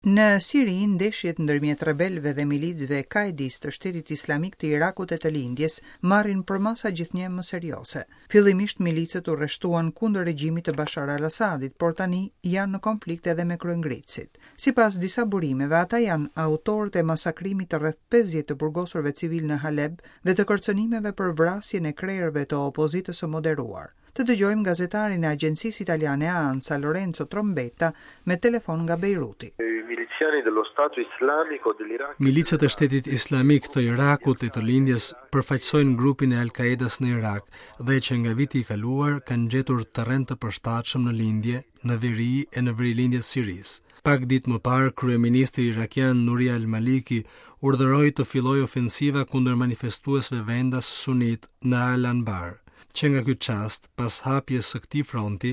Në Siri, ndeshjet ndërmjet rebelëve dhe milicëve kaedistë të Shtetit Islamik të Irakut e të Lindjes marrin përmasa gjithnjë e më serioze. Fillimisht milicët u rreshtuan kundër regjimit të Bashar al-Assadit, por tani janë në konflikt edhe me kryengritësit. Sipas disa burimeve, ata janë autorët e masakrimit të rreth 50 të burgosurve civilë në Haleb dhe të kërcënimeve për vrasjen e krerëve të opozitës së moderuar. Të dëgjojmë gazetarin e agjencisë italiane ANSA, Lorenzo Trombetta, me telefon nga Bejruti. Milicët e Shtetit Islamik të Irakut e të Lindjes përfaqësojnë grupin e Al-Qaedës në Irak dhe që nga viti i kaluar kanë gjetur terren të përshtatshëm në lindje, në veri e në verilindje të Sirisë. Pak ditë më parë, kryeministri irakian Nuri al-Maliki urdhëroi të fillojë ofensiva kundër manifestuesve vendas sunitë në Al-Anbar. Që nga ky çast, pas hapjes së këtij fronti,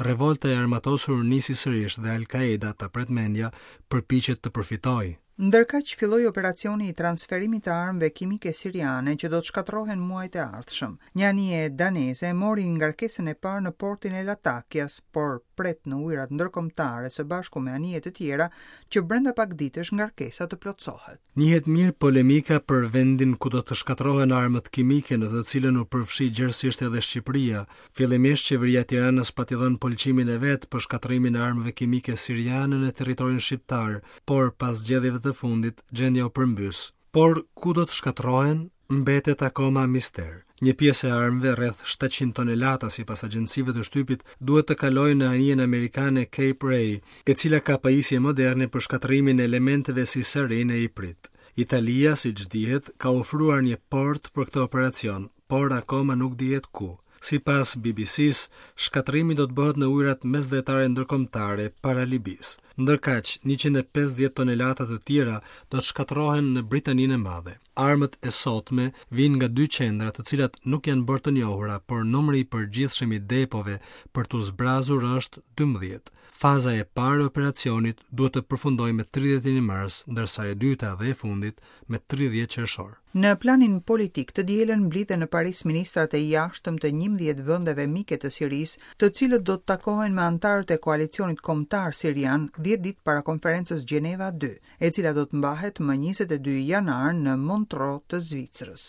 revolta e armatosur nisi sërish dhe Al-Qaeda, ta pret mendja, përpiqet të përfitojë. Ndërkaq filloi operacioni i transferimit të armëve kimike siriane që do të shkatërrohen muajt e ardhshëm. Një anije daneze mori ngarkesën e parë në portin e Latakias, por pret në ujërat ndërkombëtare së bashku me anije të tjera që brenda pak ditësh ngarkesa të plotësohet. Njihet mirë polemika për vendin ku do të shkatërrohen armët kimike në të cilën u përfshi gjerësisht edhe Shqipëria. Fillimisht qeveria e Tiranës pati dhënë pëlqimin e vet për shkatërrimin e armëve kimike siriane në territorin shqiptar, por pas zgjedhjeve të fundit gjendja u përmbys. Por ku do të shkatërrohen? Mbetet akoma mister. Një pjesë e armëve, rreth 700 tonelata sipas agjencive të shtypit, duhet të kalojë në anijen amerikane Cape Ray, e cila ka pajisje moderne për shkatërrimin e elementeve si sarin e iprit. Italia, siç dihet, ka ofruar një port për këtë operacion, por akoma nuk dihet ku. Sipas BBC-së, shkatërrimi do të bëhet në ujërat mesdhetare ndërkombëtare para Libisë. Ndërkaq, 150 tonelata të tjera do të shkatërrohen në Britaninë e Madhe. Armët e sotme vijnë nga dy qendra të cilat nuk janë bërë të njohura, por numri i përgjithshëm i depove për t'u zbrazur është 12. Faza e parë e operacionit duhet të përfundojë me 31 mars, ndërsa e dyta dhe e fundit me 30 qershor. Në planin politik, të dielën mblidhen në Paris ministrat e jashtëm të 11 vendeve mike të Sirisë, të cilët do të takohen me anëtarët e Koalicionit Kombëtar Sirian 10 ditë para konferencës Gjeneva 2. e cila do të mbahet më 22 janar në Montreux të Zvicrës.